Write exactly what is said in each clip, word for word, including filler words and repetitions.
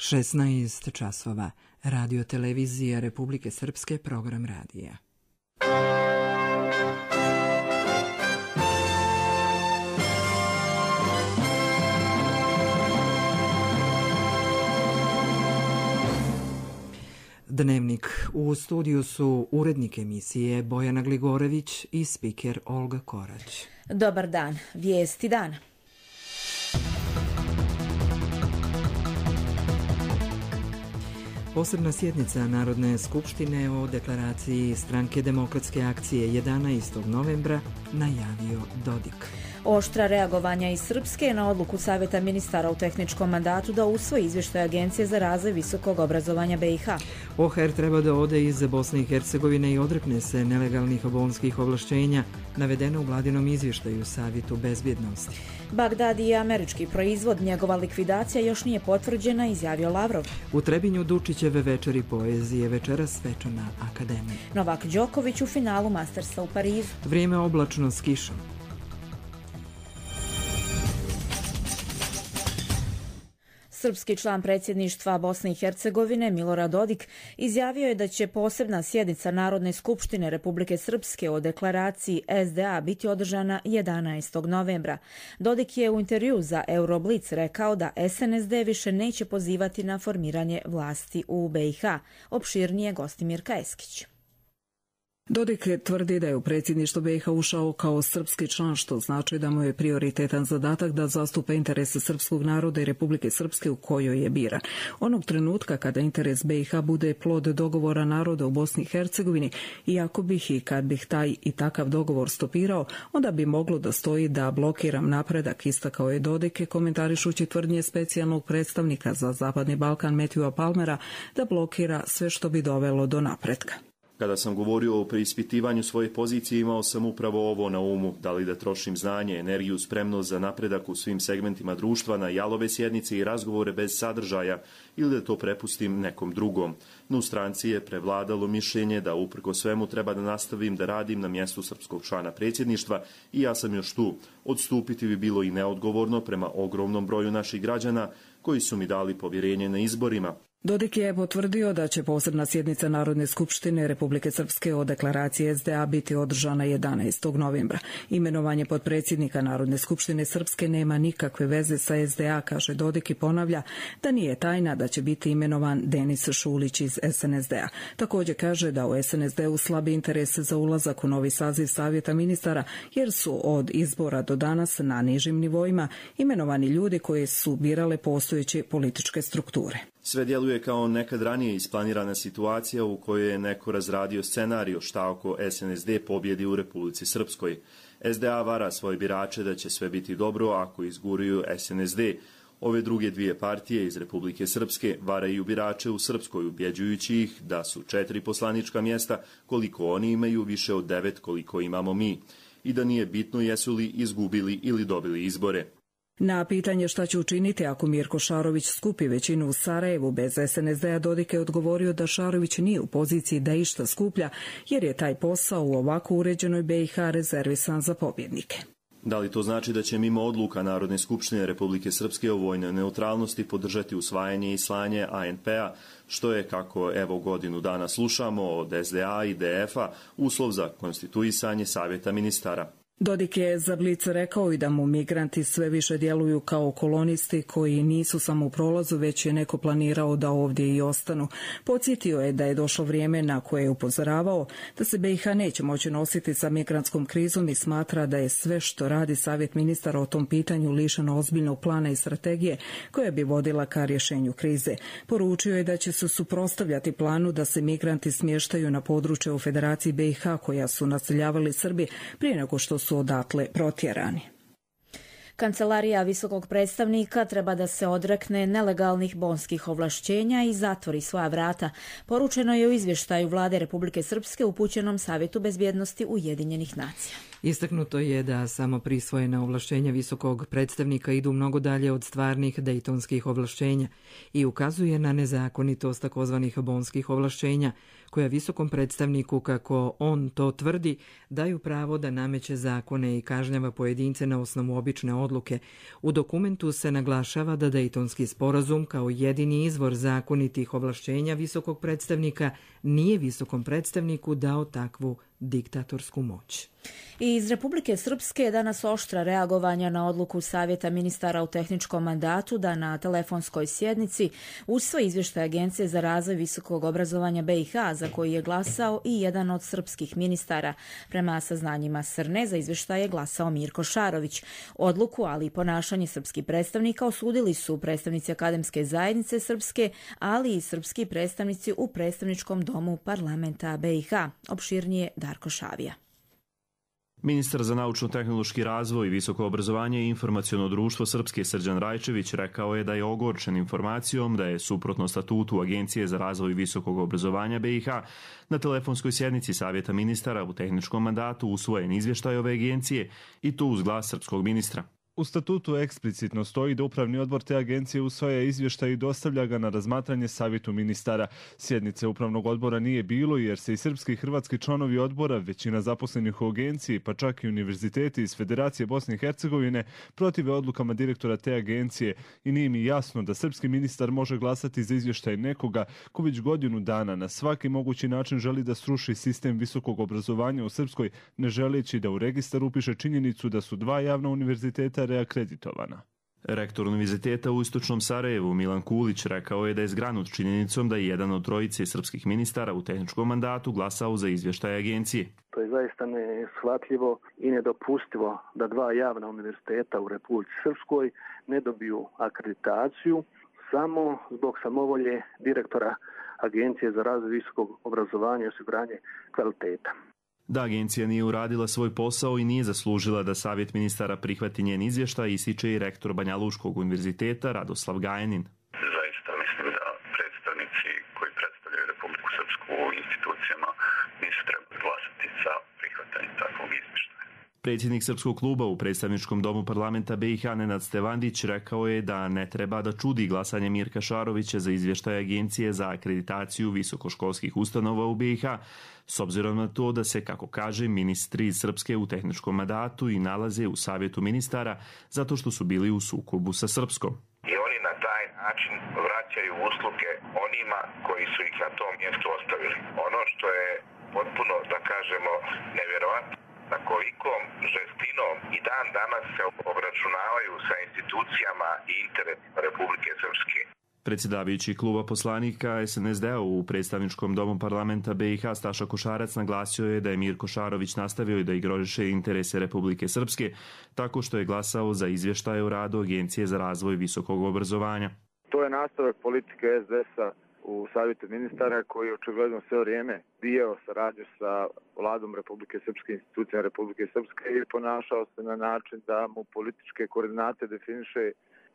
šesnaest časova. Radio televizija Republike Srpske, program radija. Dnevnik. U studiju su urednik emisije Bojana Gligorević i spiker Olga Korać. Dobar dan. Vijesti dana. Posebna sjednica Narodne skupštine o deklaraciji Stranke demokratske akcije jedanaestog novembra najavio Dodik. Oštra reagovanja iz Srpske na odluku Savjeta ministara u tehničkom mandatu da usvoji izvještaj Agencije za razvoj visokog obrazovanja B i H. O H E R treba da ode iz Bosne i Hercegovine i odrekne se nelegalnih bolonskih ovlašćenja, navedeno u vladinom izvještaju Savjetu bezbjednosti. Bagdad je američki proizvod, njegova likvidacija još nije potvrđena, izjavio Lavrov. U Trebinju Dučićeve večeri poezije, večeras svečana akademija. Novak Đoković u finalu Mastersa u Parizu. Vrijeme oblačno s kišom. Srpski član predsjedništva Bosne i Hercegovine Milorad Dodik izjavio je da će posebna sjednica Narodne skupštine Republike Srpske o deklaraciji S D A biti održana jedanaestog novembra. Dodik je u intervjuu za Euroblic rekao da S N S D više neće pozivati na formiranje vlasti u B i H. Opširnije Gostimir Kajeskić. Dodik tvrdi da je u predsjedništvo B i H ušao kao srpski član, što znači da mu je prioritetan zadatak da zastupa interese srpskog naroda i Republike Srpske u kojoj je biran. Onog trenutka kada interes B i H bude plod dogovora naroda u Bosni i Hercegovini, i ako bih i kad bih taj i takav dogovor stopirao, onda bi moglo da stoji da blokiram napredak, istakao je Dodik, komentarišući tvrdnje specijalnog predstavnika za Zapadni Balkan Matthewa Palmera da blokira sve što bi dovelo do napretka. Kada sam govorio o preispitivanju svoje pozicije, imao sam upravo ovo na umu, da li da trošim znanje, energiju, spremnost za napredak u svim segmentima društva na jalove sjednice i razgovore bez sadržaja ili da to prepustim nekom drugom. No u stranci je prevladalo mišljenje da uprko svemu treba da nastavim da radim na mjestu srpskog člana predsjedništva i ja sam još tu. Odstupiti bi bilo i neodgovorno prema ogromnom broju naših građana koji su mi dali povjerenje na izborima. Dodik je potvrdio da će posebna sjednica Narodne skupštine Republike Srpske o deklaraciji S D A biti održana jedanaestog novembra. Imenovanje potpredsjednika Narodne skupštine Srpske nema nikakve veze sa S D A, kaže Dodik i ponavlja da nije tajna da će biti imenovan Denis Šulić iz S N S D A. Također kaže da u S N S D-u slabi interes za ulazak u novi saziv Savjeta ministara, jer su od izbora do danas na nižim nivoima imenovani ljudi koji su birale postojeće političke strukture. Sve djeluje kao nekad ranije isplanirana situacija u kojoj je neko razradio scenariju šta ako S N S D pobjedi u Republici Srpskoj. S D A vara svoje birače da će sve biti dobro ako izguruju S N S D. Ove druge dvije partije iz Republike Srpske varaju birače u Srpskoj, ubjeđujući ih da su četiri poslanička mjesta koliko oni imaju, više od devet koliko imamo mi. I da nije bitno jesu li izgubili ili dobili izbore. Na pitanje šta će učiniti ako Mirko Šarović skupi većinu u Sarajevu bez S N S D-a, Dodik je odgovorio da Šarović nije u poziciji da išta skuplja, jer je taj posao u ovako uređenoj B i H rezervisan za pobjednike. Da li to znači da će mimo odluka Narodne skupštine Republike Srpske o vojnoj neutralnosti podržati usvajanje i slanje A N P-a, što je, kako evo godinu dana slušamo od S D A i D F-a, uslov za konstituisanje Savjeta ministara? Dodik je za Blic rekao i da mu migranti sve više djeluju kao kolonisti koji nisu samo u prolazu, već je neko planirao da ovdje i ostanu. Podsjetio je da je došlo vrijeme na koje je upozoravao da se B i H neće moći nositi sa migrantskom krizom i smatra da je sve što radi Savjet ministara o tom pitanju lišeno ozbiljnog plana i strategije koja bi vodila ka rješenju krize. Poručio je da će se suprotstavljati planu da se migranti smještaju na područje u Federaciji B i H koja su naseljavali Srbi prije nego što su su odatle protjerani. Kancelarija visokog predstavnika treba da se odrekne nelegalnih bonskih ovlašćenja i zatvori svoja vrata. Poručeno je u izvještaju Vlade Republike Srpske upućenom Savjetu bezbjednosti Ujedinjenih nacija. Istaknuto je da samo prisvojena ovlašćenja visokog predstavnika idu mnogo dalje od stvarnih dejtonskih ovlašćenja i ukazuje na nezakonitost takozvanih bonskih ovlašćenja, koja visokom predstavniku, kako on to tvrdi, daju pravo da nameće zakone i kažnjava pojedince na osnovu obične odluke. U dokumentu se naglašava da Dejtonski sporazum kao jedini izvor zakonitih ovlašćenja visokog predstavnika nije visokom predstavniku dao takvu diktatorsku moć. I iz Republike Srpske je danas oštra reagovanja na odluku Savjeta ministara u tehničkom mandatu da na telefonskoj sjednici usvoji izvještaj Agencije za razvoj visokog obrazovanja B i H, za koji je glasao i jedan od srpskih ministara. Prema saznanjima Srne, za izvještaj je glasao Mirko Šarović. Odluku, ali i ponašanje srpskih predstavnika osudili su predstavnici akademske zajednice Srpske, ali i srpski predstavnici u predstavničkom domu parlamenta B i H. Opširnije Darko Šavija. Ministar za naučno-tehnološki razvoj, visoko obrazovanje i informaciono društvo Srpske Srđan Rajčević rekao je da je ogorčen informacijom da je suprotno statutu Agencije za razvoj visokog obrazovanja B i H na telefonskoj sjednici Savjeta ministara u tehničkom mandatu usvojen izvještaj ove agencije i to uz glas srpskog ministra. U statutu eksplicitno stoji da upravni odbor te agencije usvaja izvještaj i dostavlja ga na razmatranje savjetu ministara. Sjednice upravnog odbora nije bilo jer se i srpski i hrvatski članovi odbora, većina zaposlenih u agenciji, pa čak i univerziteti iz Federacije Bosne i Hercegovine, protive odlukama direktora te agencije i nije mi jasno da srpski ministar može glasati za izvještaj nekoga ko već godinu dana na svaki mogući način želi da sruši sistem visokog obrazovanja u Srpskoj, ne želeći da u registar upiše činjenicu da su dva javna univerziteta reakreditovana. Rektor Univerziteta u Istočnom Sarajevu Milan Kulić rekao je da je zgranut činjenicom da je jedan od trojice srpskih ministara u tehničkom mandatu glasao za izvještaj agencije. To je zaista neshvatljivo i nedopustivo da dva javna univerziteta u Republici Srpskoj ne dobiju akreditaciju samo zbog samovolje direktora Agencije za razvoj visokog obrazovanja i osiguranje kvaliteta. Da agencija nije uradila svoj posao i nije zaslužila da savjet ministara prihvati njen izvještaj, ističe i rektor Banjaluškog univerziteta Radoslav Gajanin. Zaista mislim da predstavnici koji predstavljaju Republiku Srpsku u institucijama nisu trebali glasati za prihvatanje takvog izvještaja. Predsjednik Srpskog kluba u predstavničkom domu parlamenta B i H Nenad Stevandić rekao je da ne treba da čudi glasanje Mirka Šarovića za izvještaj Agencije za akreditaciju visokoškolskih ustanova u B i H, s obzirom na to da se, kako kaže, ministri iz Srpske u tehničkom mandatu i nalaze u savjetu ministara zato što su bili u sukobu sa Srpskom. I oni na taj način vraćaju usluge onima koji su ih na tom mjestu ostavili. Ono što je potpuno, da kažemo, nevjerovatno, na kolikom žestinom i dan danas se obračunavaju sa institucijama i interesima Republike Srpske. Predsjedavajući kluba poslanika S N S D-a u predstavničkom domu parlamenta B i H Staša Košarac naglasio je da je Mirko Šarović nastavio da igrožiše interese Republike Srpske tako što je glasao za izvještaj o radu Agencije za razvoj visokog obrazovanja. To je nastavak politike S D S-a u savjetu ministara koji je očigledno sve vrijeme bio saradnju sa vladom Republike Srpske, institucijama Republike Srpske i ponašao se na način da mu političke koordinate definiše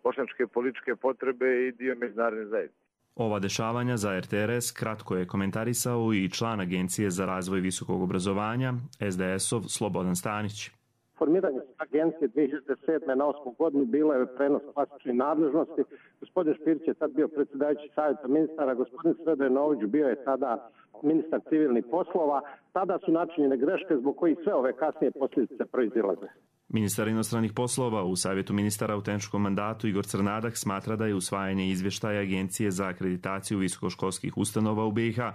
bošnjačke političke potrebe i dio međunarodne zajednice. Ova dešavanja za R T R S kratko je komentarisao i član Agencije za razvoj visokog obrazovanja S D S-ov Slobodan Stanić. Formiranje agencije dvije hiljade sedme na osmu godinu bilo je prenos klasičnih nadležnosti. Gospodin Špirić je tad bio predsjedavajući savjeta ministara, gospodin Srebrenović bio je tada ministar civilnih poslova. Tada su načinjene greške zbog kojih sve ove kasnije posljedice proizilaze. Ministar inostranih poslova u savjetu ministara u tehničkom mandatu Igor Crnadak smatra da je usvajanje izvještaja Agencije za akreditaciju visokoškolskih ustanova u B i H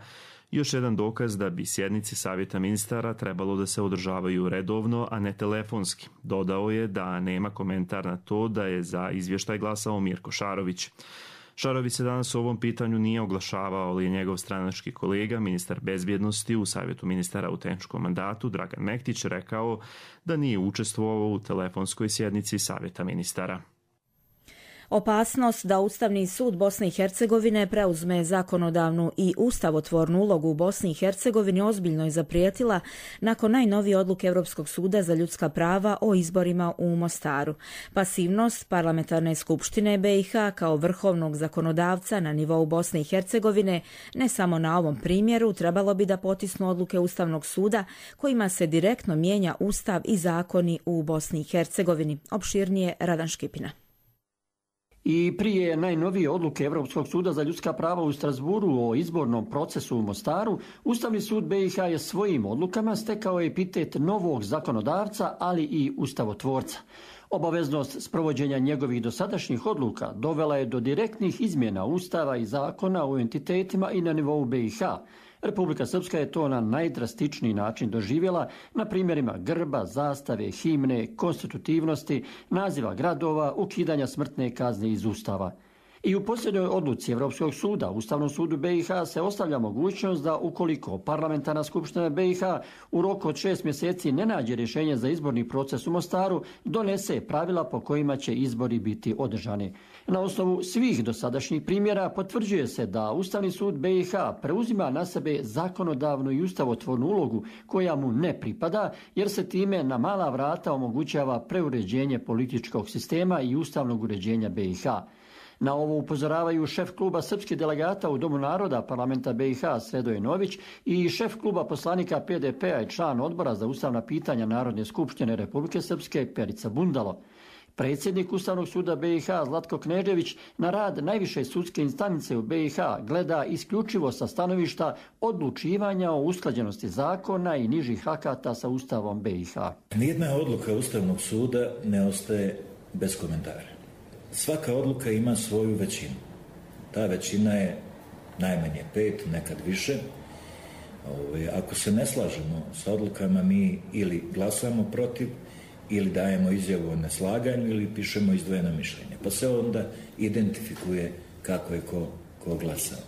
još jedan dokaz da bi sjednice savjeta ministara trebalo da se održavaju redovno, a ne telefonski. Dodao je da nema komentar na to da je za izvještaj glasao Mirko Šarović. Šarović se danas o ovom pitanju nije oglašavao, ali je njegov stranački kolega, ministar bezbjednosti u savjetu ministara u tehničkom mandatu Dragan Mektić rekao da nije učestvovao u telefonskoj sjednici savjeta ministara. Opasnost da Ustavni sud Bosne i Hercegovine preuzme zakonodavnu i ustavotvornu ulogu u Bosni i Hercegovini ozbiljno je zaprijetila nakon najnovije odluke Europskog suda za ljudska prava o izborima u Mostaru. Pasivnost Parlamentarne skupštine B i H kao vrhovnog zakonodavca na nivou Bosne i Hercegovine, ne samo na ovom primjeru, trebalo bi da potisnu odluke Ustavnog suda kojima se direktno mijenja Ustav i zakoni u Bosni i Hercegovini. Opširnije Radan Škipina. I prije najnovije odluke Europskog suda za ljudska prava u Strasburu o izbornom procesu u Mostaru, Ustavni sud B i H je svojim odlukama stekao epitet novog zakonodavca, ali i ustavotvorca. Obaveznost sprovođenja njegovih dosadašnjih odluka dovela je do direktnih izmjena Ustava i zakona u entitetima i na nivou B i H. Republika Srpska je to na najdrastičniji način doživjela na primjerima grba, zastave, himne, konstitutivnosti, naziva gradova, ukidanja smrtne kazne iz Ustava. I u posljednjoj odluci Europskog suda, Ustavnom sudu B i H se ostavlja mogućnost da ukoliko Parlamentarna skupština B i H u roku od šest mjeseci ne nađe rješenje za izborni proces u Mostaru, donese pravila po kojima će izbori biti održani. Na osnovu svih dosadašnjih primjera potvrđuje se da Ustavni sud B i H preuzima na sebe zakonodavnu i ustavotvornu ulogu koja mu ne pripada, jer se time na mala vrata omogućava preuređenje političkog sistema i ustavnog uređenja B i H. Na ovo upozoravaju šef kluba srpskih delegata u Domu naroda parlamenta B i H Sredoje Nović i šef kluba poslanika P D P-a i član odbora za ustavna pitanja Narodne skupštine Republike Srpske Perica Bundalo. Predsjednik Ustavnog suda B i H Zlatko Knežević na rad najviše sudske instance u B i H gleda isključivo sa stanovišta odlučivanja o usklađenosti zakona i nižih akata sa Ustavom B i H. Nijedna odluka Ustavnog suda ne ostaje bez komentara. Svaka odluka ima svoju većinu. Ta većina je najmanje pet, nekad više. Ako se ne slažemo sa odlukama, mi ili glasamo protiv, ili dajemo izjavu o neslaganju, ili pišemo izdvojeno mišljenje. Pa se onda identifikuje kako je ko, ko glasao.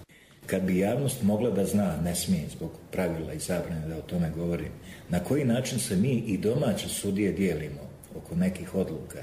Kad bi javnost mogla da zna, ne smije zbog pravila i zabrane da o tome govorim, na koji način se mi i domaće sudije dijelimo oko nekih odluka,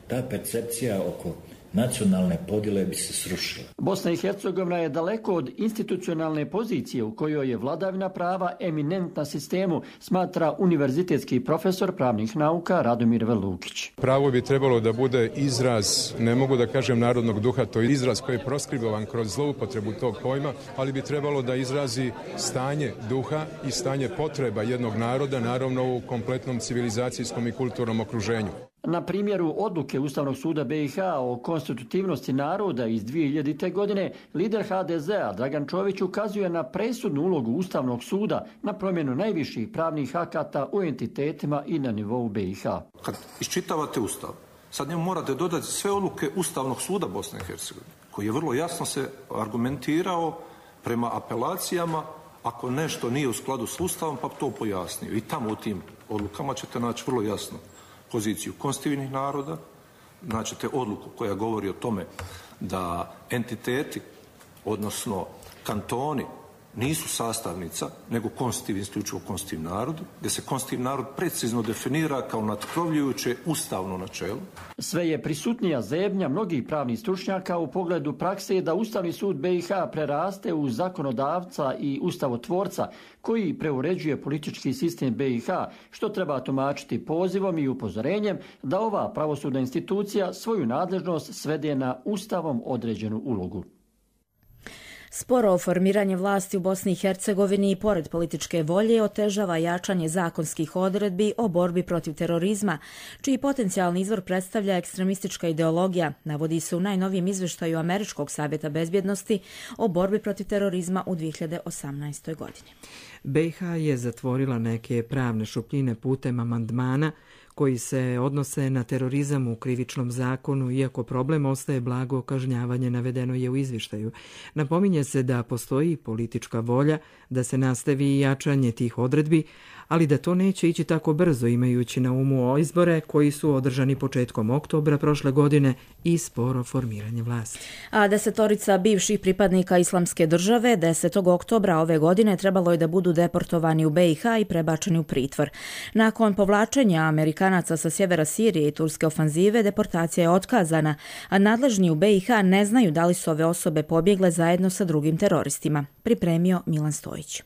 ta percepcija oko nacionalne podjele bi se srušila. Bosna i Hercegovina je daleko od institucionalne pozicije u kojoj je vladavina prava eminentna sistemu, smatra univerzitetski profesor pravnih nauka Radomir Velukić. Pravo bi trebalo da bude izraz, ne mogu da kažem narodnog duha, to je izraz koji je proskribovan kroz zloupotrebu tog pojma, ali bi trebalo da izrazi stanje duha i stanje potreba jednog naroda, naravno u kompletnom civilizacijskom i kulturnom okruženju. Na primjeru odluke Ustavnog suda B i H o konstitutivnosti naroda iz dvije hiljadite. godine, lider H D Z-a Dragan Čović ukazuje na presudnu ulogu Ustavnog suda na promjenu najviših pravnih akata u entitetima i na nivou B i H. Kad iščitavate Ustav, sad njemu morate dodati sve odluke Ustavnog suda Bosne i Hercegovine, koji je vrlo jasno se argumentirao prema apelacijama, ako nešto nije u skladu s Ustavom, pa to pojasnio. I tamo u tim odlukama ćete naći vrlo jasno poziciju konstitutivnih naroda, naćete odluku koja govori o tome da entiteti, odnosno kantoni, nisu sastavnica, nego konstitutivni, isključivo konstitutivni narod, gdje se konstitutivni narod precizno definira kao natkrovljujuće ustavno načelo. Sve je prisutnija zebnja mnogih pravnih stručnjaka u pogledu prakse da Ustavni sud B i H preraste u zakonodavca i ustavotvorca koji preuređuje politički sistem B i H, što treba tumačiti pozivom i upozorenjem da ova pravosudna institucija svoju nadležnost svede na Ustavom određenu ulogu. Sporo formiranje vlasti u Bosni i Hercegovini i pored političke volje otežava jačanje zakonskih odredbi o borbi protiv terorizma, čiji potencijalni izvor predstavlja ekstremistička ideologija, navodi se u najnovijem izvještaju Američkog savjeta bezbjednosti o borbi protiv terorizma u dvije hiljade osamnaestoj. godini. B i H je zatvorila neke pravne šupljine putem amandmana koji se odnose na terorizam u krivičnom zakonu, iako problem ostaje blago kažnjavanje, navedeno je u izvještaju. Napominje se da postoji politička volja da se nastavi jačanje tih odredbi, ali da to neće ići tako brzo imajući na umu izbore koji su održani početkom oktobra prošle godine i sporo formiranje vlasti. A desetorica bivših pripadnika Islamske države desetog oktobra ove godine trebalo je da budu deportovani u be i ha i prebačeni u pritvor. Nakon povlačenja Amerikanaca sa sjevera Sirije i turske ofanzive, deportacija je otkazana, a nadležni u be i ha ne znaju da li su ove osobe pobjegle zajedno sa drugim teroristima. Pripremio Milan Stojić.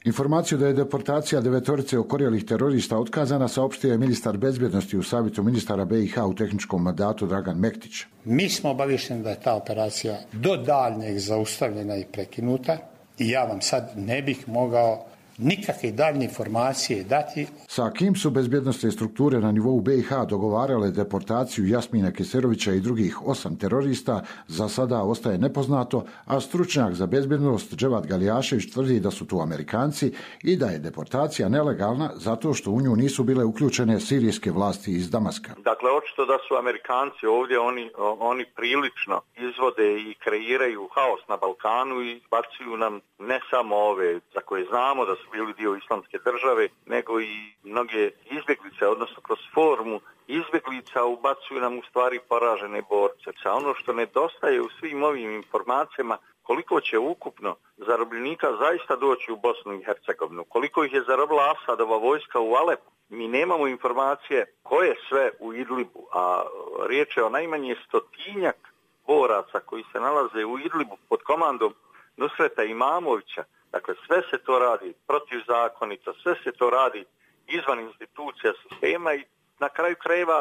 Informaciju da je deportacija devetorice okorjelih terorista otkazana saopštio je ministar bezbjednosti u savjetu ministara be i ha u tehničkom mandatu Dragan Mektić. Mi smo obaviješteni da je ta operacija do daljnjeg zaustavljena i prekinuta i ja vam sad ne bih mogao nikakve daljnje informacije dati. Sa kim su bezbjednostne strukture na nivou be i ha dogovarale deportaciju Jasmina Keserovića i drugih osam terorista, za sada ostaje nepoznato, a stručnjak za bezbjednost Dževad Galijašević tvrdi da su tu Amerikanci i da je deportacija nelegalna zato što u nju nisu bile uključene sirijske vlasti iz Damaska. Dakle, očito da su Amerikanci ovdje, oni, oni prilično izvode i kreiraju haos na Balkanu i bacuju nam ne samo ove za koje znamo da su bili dio Islamske države, nego i mnoge izbjeglice, odnosno kroz formu izbjeglica ubacuju nam u stvari poražene borce. Sa ono što nedostaje u svim ovim informacijama, koliko će ukupno zarobljenika zaista doći u Bosnu i Hercegovinu, koliko ih je zarobila Asadova vojska u Alepu. Mi nemamo informacije ko je sve u Idlibu, a riječ je o najmanje stotinjak boraca koji se nalaze u Idlibu pod komandom Nusreta Imamovića. Dakle, sve se to radi protivzakonito, sve se to radi izvan institucija sistema i na kraju krajeva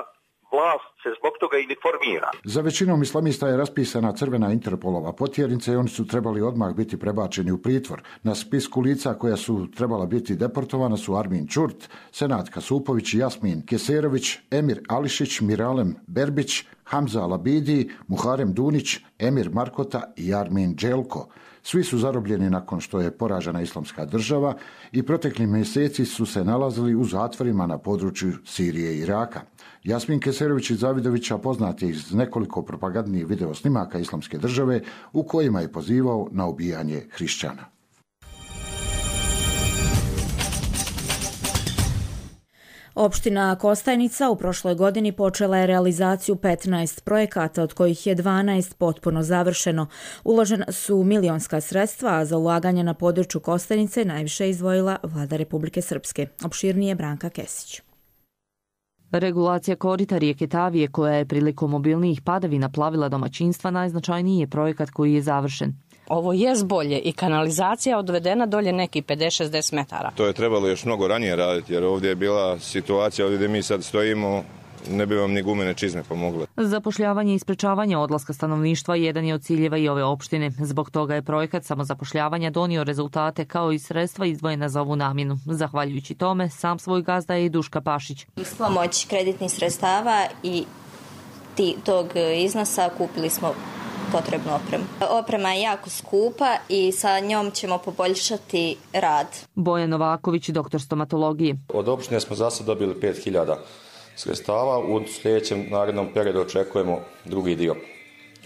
vlast se zbog toga i ne formira. Za većinom islamista je raspisana crvena Interpolova potjernica i oni su trebali odmah biti prebačeni u pritvor. Na spisku lica koja su trebala biti deportovana su Armin Čurt, Senad Kasupović, Jasmin Keserović, Emir Ališić, Miralem Berbić, Hamza Labidi, Muharem Dunić, Emir Markota i Armin Đelko. Svi su zarobljeni nakon što je poražena Islamska država i protekli mjeseci su se nalazili u zatvorima na području Sirije i Iraka. Jasmin Keserović iz Zavidovića poznat je iz nekoliko propagandnih video snimaka Islamske države u kojima je pozivao na ubijanje hrišćana. Opština Kostajnica u prošloj godini počela je realizaciju petnaest projekata, od kojih je dvanaest potpuno završeno. Uložena su milionska sredstva, a za ulaganje na području Kostajnice najviše izdvojila Vlada Republike Srpske. Opširnije Branka Kesić. Regulacija korita rijeke Tavije, koja je prilikom obilnijih padavina plavila domaćinstva, najznačajniji je projekat koji je završen. Ovo je bolje i kanalizacija odvedena dolje neki pedeset šezdeset metara. To je trebalo još mnogo ranije raditi, jer ovdje je bila situacija, ovdje gdje mi sad stojimo, ne bi vam ni gumene čizme pomogle. Zapošljavanje i sprečavanje odlaska stanovništva jedan je od ciljeva i ove opštine. Zbog toga je projekat samozapošljavanja donio rezultate kao i sredstva izdvojena za ovu namjenu. Zahvaljujući tome, sam svoj gazda je i Duška Pašić. Uz pomoć kreditnih sredstava i tog iznosa kupili smo potrebnu opremu. Oprema je jako skupa i sa njom ćemo poboljšati rad. Bojan Novaković, doktor stomatologije. Od opštine smo za sad dobili pet hiljada sredstava. U sljedećem narednom periodu očekujemo drugi dio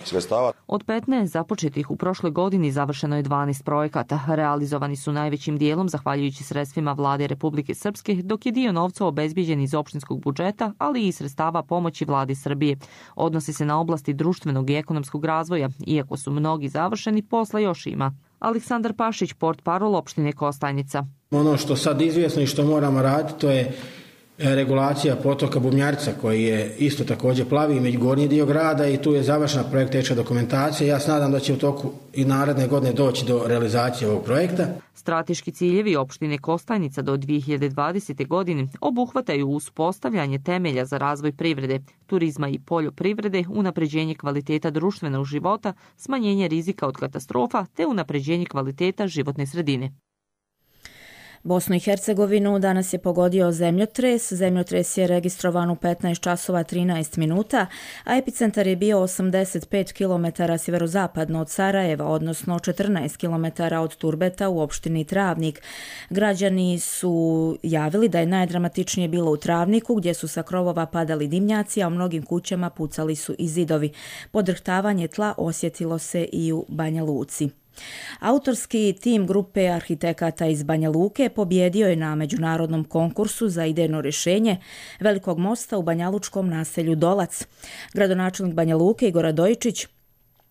sredstava. Od petnaest započetih u prošloj godini završeno je dvanaest projekata. Realizovani su najvećim dijelom zahvaljujući sredstvima Vlade Republike Srpske, dok je dio novca obezbijeđen iz opštinskog budžeta, ali i sredstava pomoći Vladi Srbije. Odnosi se na oblasti društvenog i ekonomskog razvoja. Iako su mnogi završeni, posla još ima. Aleksandar Pašić, portparol opštine Kostajnica. Ono što sad izvjesno i što moramo raditi, to je regulacija potoka Bumjarca, koji je isto također plavi među gornji dio grada i tu je završena projektečka dokumentacija. Ja se nadam da će u toku i naredne godine doći do realizacije ovog projekta. Strateški ciljevi opštine Kostajnica do dvije hiljade dvadesete. godine obuhvataju uspostavljanje temelja za razvoj privrede, turizma i poljoprivrede, unapređenje kvaliteta društvenog života, smanjenje rizika od katastrofa te unapređenje kvaliteta životne sredine. Bosnu i Hercegovinu danas je pogodio zemljotres. Zemljotres je registrovan u petnaest časova trinaest minuta, a epicentar je bio osamdeset pet kilometara sjeverozapadno od Sarajeva, odnosno četrnaest kilometara od Turbeta u opštini Travnik. Građani su javili da je najdramatičnije bilo u Travniku, gdje su sa krovova padali dimnjaci, a u mnogim kućama pucali su i zidovi. Podrhtavanje tla osjetilo se i u Banja Luci. Autorski tim grupe arhitekata iz Banja Luke pobjedio je na međunarodnom konkursu za idejno rješenje velikog mosta u banjalučkom naselju Dolac. Gradonačelnik Banja Luke Igor Radojičić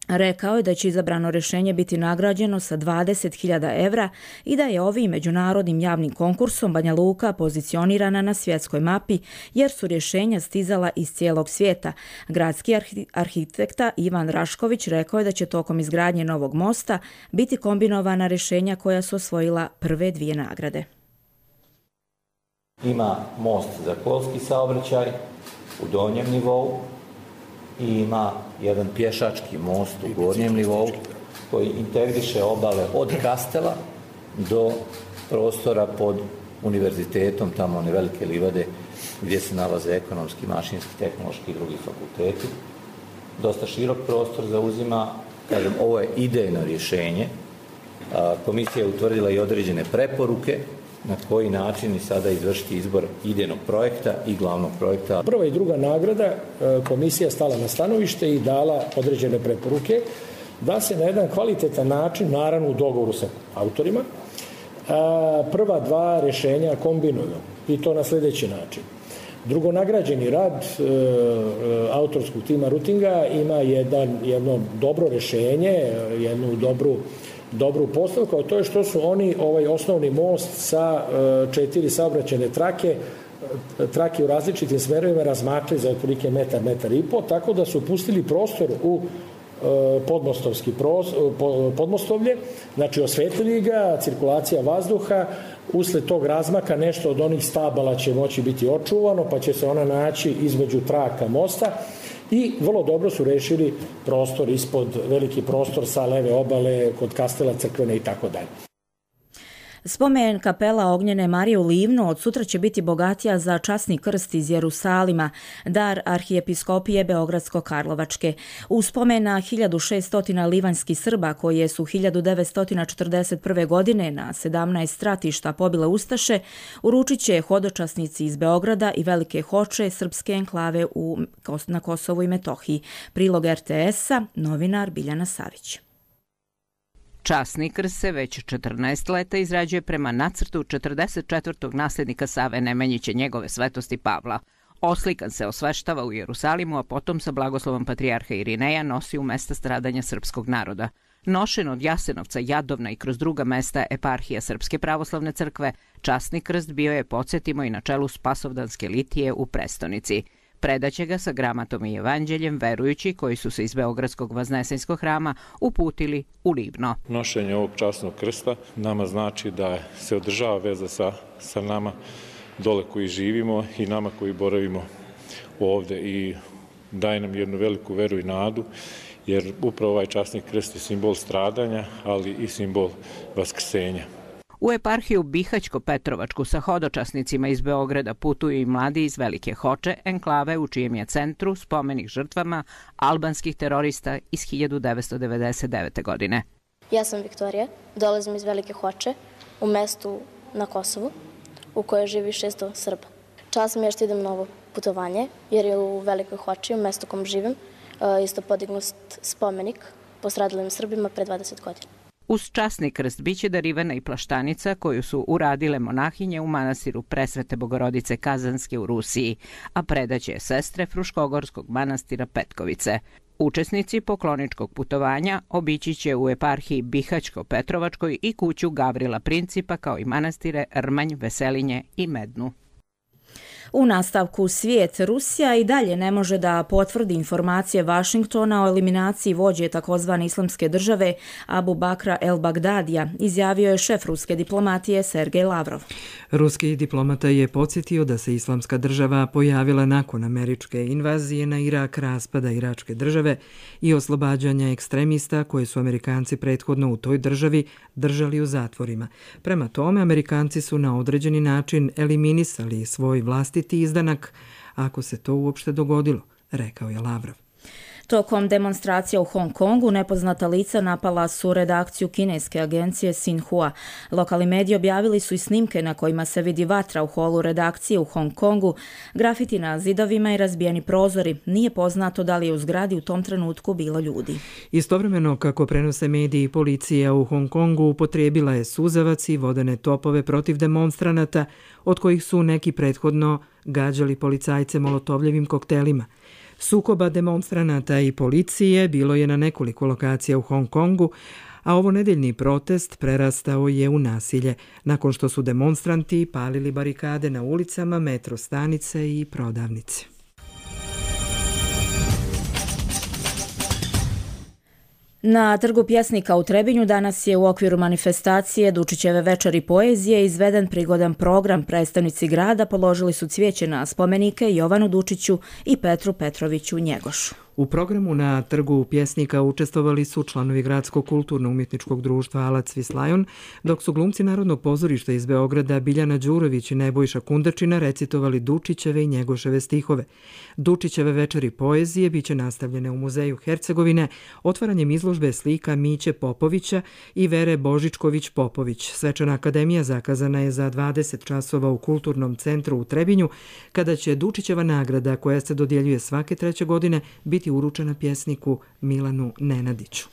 rekao je da će izabrano rješenje biti nagrađeno sa dvadeset hiljada evra i da je ovim međunarodnim javnim konkursom Banja Luka pozicionirana na svjetskoj mapi jer su rješenja stizala iz cijelog svijeta. Gradski arhitekta Ivan Rašković rekao je da će tokom izgradnje novog mosta biti kombinovana rješenja koja su osvojila prve dvije nagrade. Ima most za kolski saobraćaj u donjem nivou i ima jedan pješački most u gornjem nivou koji integriše obale od Kastela do prostora pod univerzitetom, tamo one velike livade gdje se nalaze ekonomski, mašinski, tehnološki i drugi fakulteti. Dosta širok prostor zauzima, kažem, ovo je idejno rješenje. Komisija je utvrdila i određene preporuke na koji način i sada izvršiti izbor idejnog projekta i glavnog projekta. Prva i druga nagrada komisija stala na stanovište i dala određene preporuke da se na jedan kvalitetan način, naravno u dogovoru sa autorima, prva dva rješenja kombinuju i to na sljedeći način. Drugonagrađeni rad e, autorskog tima Rutinga ima jedan, jedno dobro rješenje, jednu dobru dobru postavku, a to je što su oni ovaj osnovni most sa e, četiri saobraćajne trake, trake u različitim smerovima razmakli za otprilike metar, metar i po, tako da su pustili prostor u e, podmostovski pros, podmostovlje, znači osvetlili ga, cirkulacija vazduha, usled tog razmaka nešto od onih stabala će moći biti očuvano, pa će se ona naći između traka mosta. I vrlo dobro su rešili prostor ispod, veliki prostor sa leve obale, kod Kastela, Crkvene i tako dalje. Spomen kapela Ognjene Marije u Livnu od sutra će biti bogatija za časni krst iz Jerusalima, dar arhijepiskopije Beogradsko-Karlovačke. U spomen na hiljadu šessto livanjskih Srba koje su hiljadu devetsto četrdeset prve. godine na sedamnaest stratišta pobile Ustaše, uručit će hodočasnici iz Beograda i Velike Hoče srpske enklave u, na Kosovu i Metohiji. Prilog er te esa, novinar Biljana Savić. Časni krst se već četrnaest leta izrađuje prema nacrtu četrdeset četvrtog nasljednika Save Nemanjića njegove svetosti Pavla. Oslikan se osveštava u Jerusalimu, a potom sa blagoslovom patrijarha Irineja nosi u mesta stradanja srpskog naroda. Nošen od Jasenovca, Jadovna i kroz druga mesta eparhija Srpske pravoslavne crkve, časni krst bio je, podsjetimo, i na čelu Spasovdanske litije u prestonici. Predaće ga sa gramatom i evanđeljem verujući koji su se iz Beogradskog Vaznesenjskog hrama uputili u Livno. Nošenje ovog časnog krsta nama znači da se održava veza sa, sa nama dole koji živimo i nama koji boravimo ovde i daje nam jednu veliku veru i nadu, jer upravo ovaj časni krst je simbol stradanja, ali i simbol vaskrsenja. U eparhiju Bihaćko-Petrovačku sa hodočasnicima iz Beograda putuju i mladi iz Velike Hoče, enklave u čijem je centru spomenik žrtvama albanskih terorista iz hiljadu devetsto devedeset devete. godine. Ja sam Viktorija, dolazim iz Velike Hoče, u mestu na Kosovu, u kojoj živi šesto Srba. Čast mi je što idem na ovo putovanje, jer je u Velikoj Hoči, u mestu u kom živim, isto podignut spomenik postradalim Srbima pre dvadeset godina. Uz časni krst biće darivana i plaštanica koju su uradile monahinje u manastiru Presvete Bogorodice Kazanske u Rusiji, a predaće je sestre Fruškogorskog manastira Petkovice. Učesnici pokloničkog putovanja obići će u eparhiji Bihaćko-Petrovačkoj i kuću Gavrila Principa kao i manastire Rmanj, Veselinje i Mednu. U nastavku svijet, Rusija i dalje ne može da potvrdi informacije Vašingtona o eliminaciji vođe takozvane islamske države Abu Bakra el-Bagdadija, izjavio je šef ruske diplomatije Sergej Lavrov. Ruski diplomata je podsjetio da se islamska država pojavila nakon američke invazije na Irak, raspada iračke države i oslobađanja ekstremista koje su Amerikanci prethodno u toj državi držali u zatvorima. Prema tome, Amerikanci su na određeni način eliminisali svoj vlastiti izdanak, ako se to uopšte dogodilo, rekao je Lavrov. Tokom demonstracija u Hong Kongu nepoznata lica napala su redakciju kineske agencije Xinhua. Lokalni mediji objavili su i snimke na kojima se vidi vatra u holu redakcije u Hong Kongu, grafiti na zidovima i razbijeni prozori. Nije poznato da li je u zgradi u tom trenutku bilo ljudi. Istovremeno, kako prenose mediji, policija u Hong Kongu upotrijebila je suzavac i vodene topove protiv demonstranata, od kojih su neki prethodno gađali policajce molotovljevim koktelima. Sukoba demonstranata i policije bilo je na nekoliko lokacija u Hong Kongu, a ovo nedeljni protest prerastao je u nasilje, nakon što su demonstranti palili barikade na ulicama, metro stanice i prodavnice. Na Trgu pjesnika u Trebinju danas je u okviru manifestacije Dučićeve večeri poezije izveden prigodan program. Predstavnici grada položili su cvijeće na spomenike Jovanu Dučiću i Petru Petroviću Njegošu. U programu na Trgu pjesnika učestvovali su članovi Gradskog kulturno-umjetničkog društva Alac Vislajon, dok su glumci Narodnog pozorišta iz Beograda Biljana Đurović i Nebojša Kundačina recitovali Dučićeve i Njegoševe stihove. Dučićeve večeri poezije biće nastavljene u Muzeju Hercegovine otvaranjem izložbe slika Miće Popovića i Vere Božičković-Popović. Svečana akademija zakazana je za dvadeset časova u Kulturnom centru u Trebinju, kada će Dučićeva nagrada, koja se dodjeljuje svake treće godine, biti uručena pjesniku Milanu Nenadiću.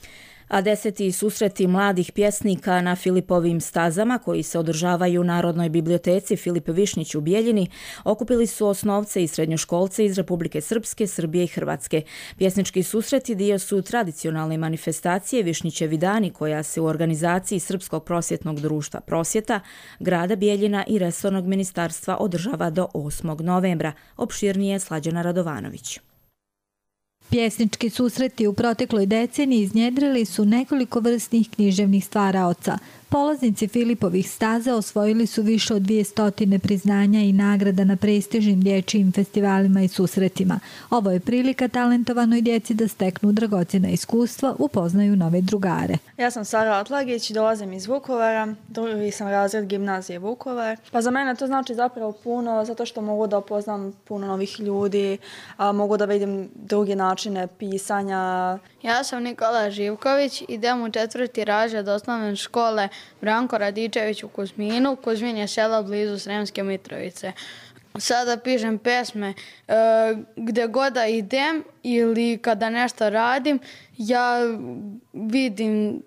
A deseti susreti mladih pjesnika na Filipovim stazama, koji se održavaju u Narodnoj biblioteci Filip Višnjić u Bijeljini, okupili su osnovce i srednjoškolce iz Republike Srpske, Srbije i Hrvatske. Pjesnički susreti dio su tradicionalne manifestacije Višnjićevi dani, koja se u organizaciji Srpskog prosvjetnog društva Prosvjeta, grada Bijeljina i resornog ministarstva održava do osmog novembra. Opširnije Slađana Radovanović. Pjesnički susreti u protekloj deceniji iznjedrili su nekoliko vrsnih književnih stvaraoca. Polaznici Filipovih staza osvojili su više od dvije stotine priznanja i nagrada na prestižnim dječjim festivalima i susretima. Ovo je prilika talentovanoj djeci da steknu dragocjena iskustva, upoznaju nove drugare. Ja sam Sara Atlagić, dolazim iz Vukovara, drugi sam razred gimnazije Vukovar. Pa za mene to znači zapravo puno, zato što mogu da upoznam puno novih ljudi, a mogu da vidim druge načine pisanja. Ja sam Nikola Živković, idem u četvrti razred osnovne škole Branko Radičević u Kuzminu. Kuzmin je selo blizu Sremske Mitrovice. Sada pišem pesme e, gde god da idem ili kada nešto radim, ja vidim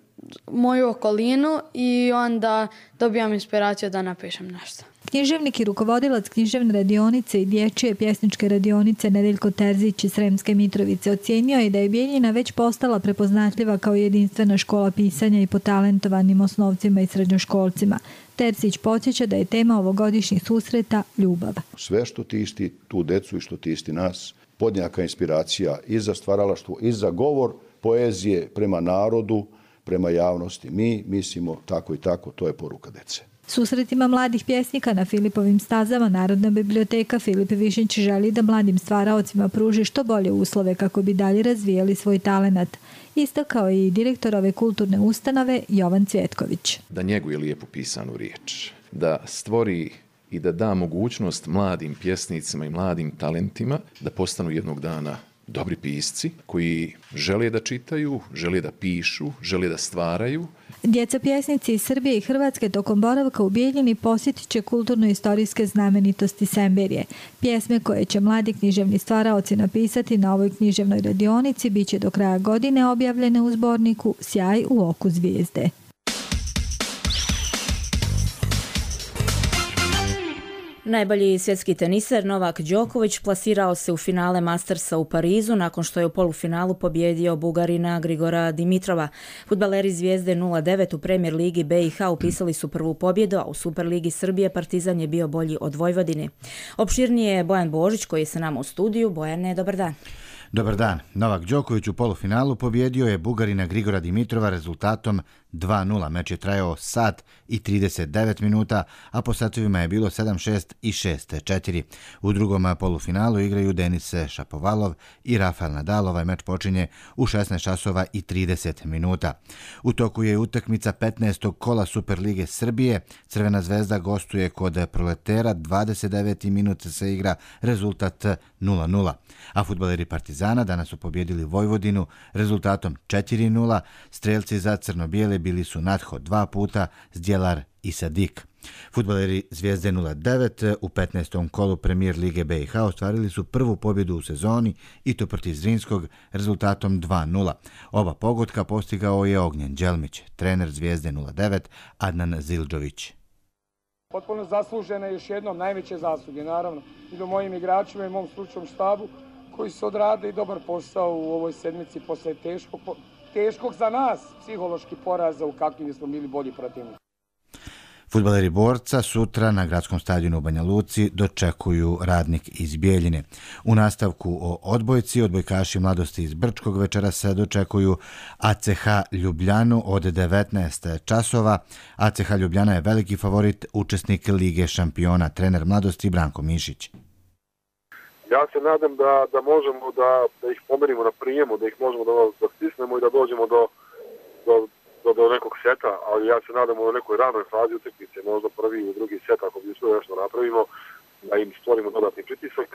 moju okolinu i onda dobijam inspiraciju da napišem nešto. Književnik i rukovodilac književne radionice i dječje pjesničke radionice Nedeljko Terzić iz Sremske Mitrovice ocijenio je da je Bijeljina već postala prepoznatljiva kao jedinstvena škola pisanja i po talentovanim osnovcima i srednjoškolcima. Terzić podsjeća da je tema ovogodišnjih susreta ljubav. Sve što tišti tu decu i što tišti nas, podnjaka inspiracija i za stvaralaštvo, i za govor poezije prema narodu, prema javnosti. Mi mislimo tako i tako, to je poruka dece. Susretima mladih pjesnika na Filipovim stazama Narodna biblioteka Filip Višnjić želi da mladim stvaraocima pruži što bolje uslove kako bi dalje razvijali svoj talenat. Istakao je i direktor ove kulturne ustanove Jovan Cvjetković. Da njeguje lijepo pisanu riječ, da stvori i da da mogućnost mladim pjesnicima i mladim talentima da postanu jednog dana dobri pisci koji žele da čitaju, žele da pišu, žele da stvaraju. Djeca pjesnici iz Srbije i Hrvatske tokom boravka u Bijeljini posjetit će kulturno-istorijske znamenitosti Semberije. Pjesme koje će mladi književni stvaraoci napisati na ovoj književnoj radionici bit će do kraja godine objavljene u zborniku Sjaj u oku zvijezde. Najbolji svjetski teniser Novak Đoković plasirao se u finale Mastersa u Parizu nakon što je u polufinalu pobjedio Bugarina Grigora Dimitrova. Fudbaleri Zvijezde nula devet u Premier ligi B i H upisali su prvu pobjedu, a u Superligi Srbije Partizan je bio bolji od Vojvodine. Opširnije je Bojan Božić koji je sa nama u studiju. Bojane, dobar dan. Dobar dan. Novak Đoković u polufinalu pobjedio je Bugarina Grigora Dimitrova rezultatom dva nula. Meč je trajao sat i trideset devet minuta, a po satovima je bilo sedam šest i šest četiri. U drugom polufinalu igraju Denis Šapovalov i Rafael Nadal. Ovaj meč počinje u šesnaest časova i trideset minuta. U toku je utakmica petnaestog kola Superlige Srbije. Crvena zvezda gostuje kod Proletera. dvadeset deveti minut se igra, rezultat nula nula. A fudbaleri Partizana danas su pobjedili Vojvodinu rezultatom četiri nula. Strelci za crno-bijele bili su Natho dva puta, Zdjelar i Sadik. Fudbaleri Zvijezde nula devet u petnaestom kolu Premijer Lige B i H ostvarili su prvu pobjedu u sezoni i to protiv Zrinskog rezultatom dva nula. Oba pogotka postigao je Ognjen Đelmić, trener Zvijezde nula devet Adnan Zildžović. Potpuno zaslužene još jednom najveće zasluge, naravno, i do mojim igračima i mom stručnom štabu koji su odradili dobar posao u ovoj sedmici posle teškog, teškog za nas psihološki poraza u kakvim smo bili bolji protivnici. Fudbaleri Borca sutra na gradskom stadionu u Banja Luci dočekuju Radnik iz Bijeljine. U nastavku o odbojci, odbojkaši Mladosti iz Brčkog večera se dočekuju A C H Ljubljanu od devetnaest časova. A C H Ljubljana je veliki favorit, učesnik Lige šampiona, trener Mladosti Branko Mišić. Ja se nadam da, da možemo da, da ih pomerimo na prijemu, da ih možemo da, da stisnemo i da dođemo do, do Do, do nekog seta, ali ja se nadam u nekoj ranoj fazi utakmice, možda prvi i drugi set, ako bi sve nešto napravimo, da im stvorimo dodatni pritisak,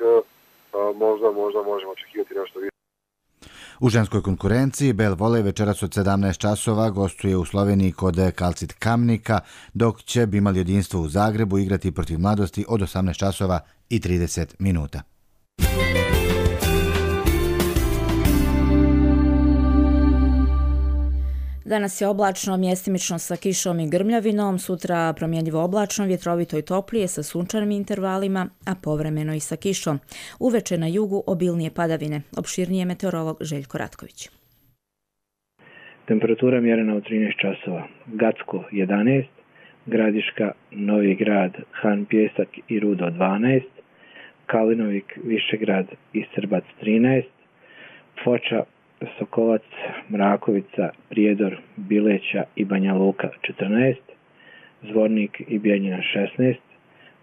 možda, možda možemo očekivati nešto više. U ženskoj konkurenciji Bel Volej večeras od sedamnaest časova gostuje u Sloveniji kod Kalcit Kamnika, dok će Bimal jedinstvo u Zagrebu igrati protiv Mladosti od osamnaest časova i trideset minuta. Danas je oblačno, mjestimično sa kišom i grmljavinom, sutra promjenjivo oblačno, vjetrovito i toplije sa sunčanim intervalima, a povremeno i sa kišom. Uveče na jugu obilnije padavine. Opširnije meteorolog Željko Ratković. Temperatura mjerena u trinaest časova. Gacko jedanaest, Gradiška, Novi Grad, Han Pjesak i Rudo dvanaest, Kalinovik, Višegrad i Srbac trinaest, Foča, Sokolac, Mrakovica, Prijedor, Bileća i Banja Luka četrnaest, Zvornik i Bijeljina šesnaest,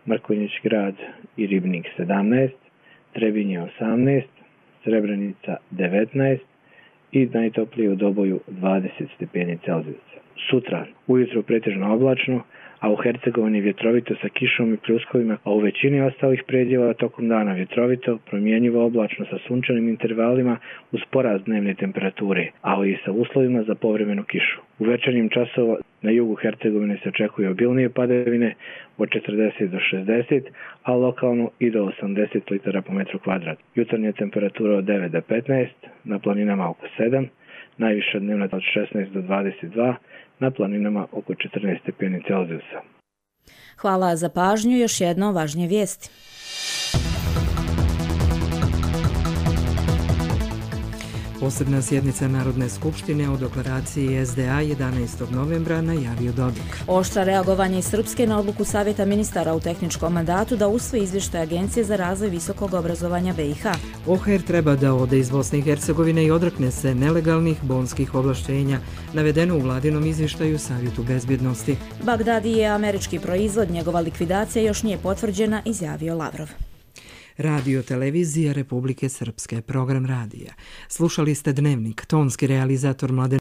Mrkonjić Grad i Ribnik sedamnaest, Trebinje osamnaest, Srebrenica devetnaest i najtoplije u Doboju dvadeset stepeni Celzijusa. Sutra ujutro pretežno oblačno, a u Hercegovini vjetrovito sa kišom i pljuskovima, a u većini ostalih predjela tokom dana vjetrovito, promjenjivo oblačno sa sunčanim intervalima uz porast dnevne temperature, ali i sa uslovima za povremenu kišu. U večernjim časova na jugu Hercegovine se očekuju obilnije padavine od četrdeset do šezdeset, a lokalno i do osamdeset litara po metru kvadrat. Jutarnja temperatura od devet do petnaest, na planinama oko sedam, najviša dnevna od šesnaest do dvadeset dva, na planinama oko četrnaest stepeni Celzijusa. Hvala za pažnju, još jedno važnije vijesti. Posebna sjednica Narodne skupštine o deklaraciji S D A jedanaestog novembra najavio Dodik. Oštra reagovanje iz Srpske na odluku Savjeta ministara u tehničkom mandatu da usvoji izvještaj Agencije za razvoj visokog obrazovanja B i H. O H E R treba da ode iz Bosne i Hercegovine i odrekne se nelegalnih bonskih ovlaštenja, navedeno u vladinom izvještaju Savjetu bezbjednosti. Bagdadi je američki proizvod, njegova likvidacija još nije potvrđena, izjavio Lavrov. Radio televizija Republike Srpske, program radija. Slušali ste Dnevnik, tonski realizator Mladen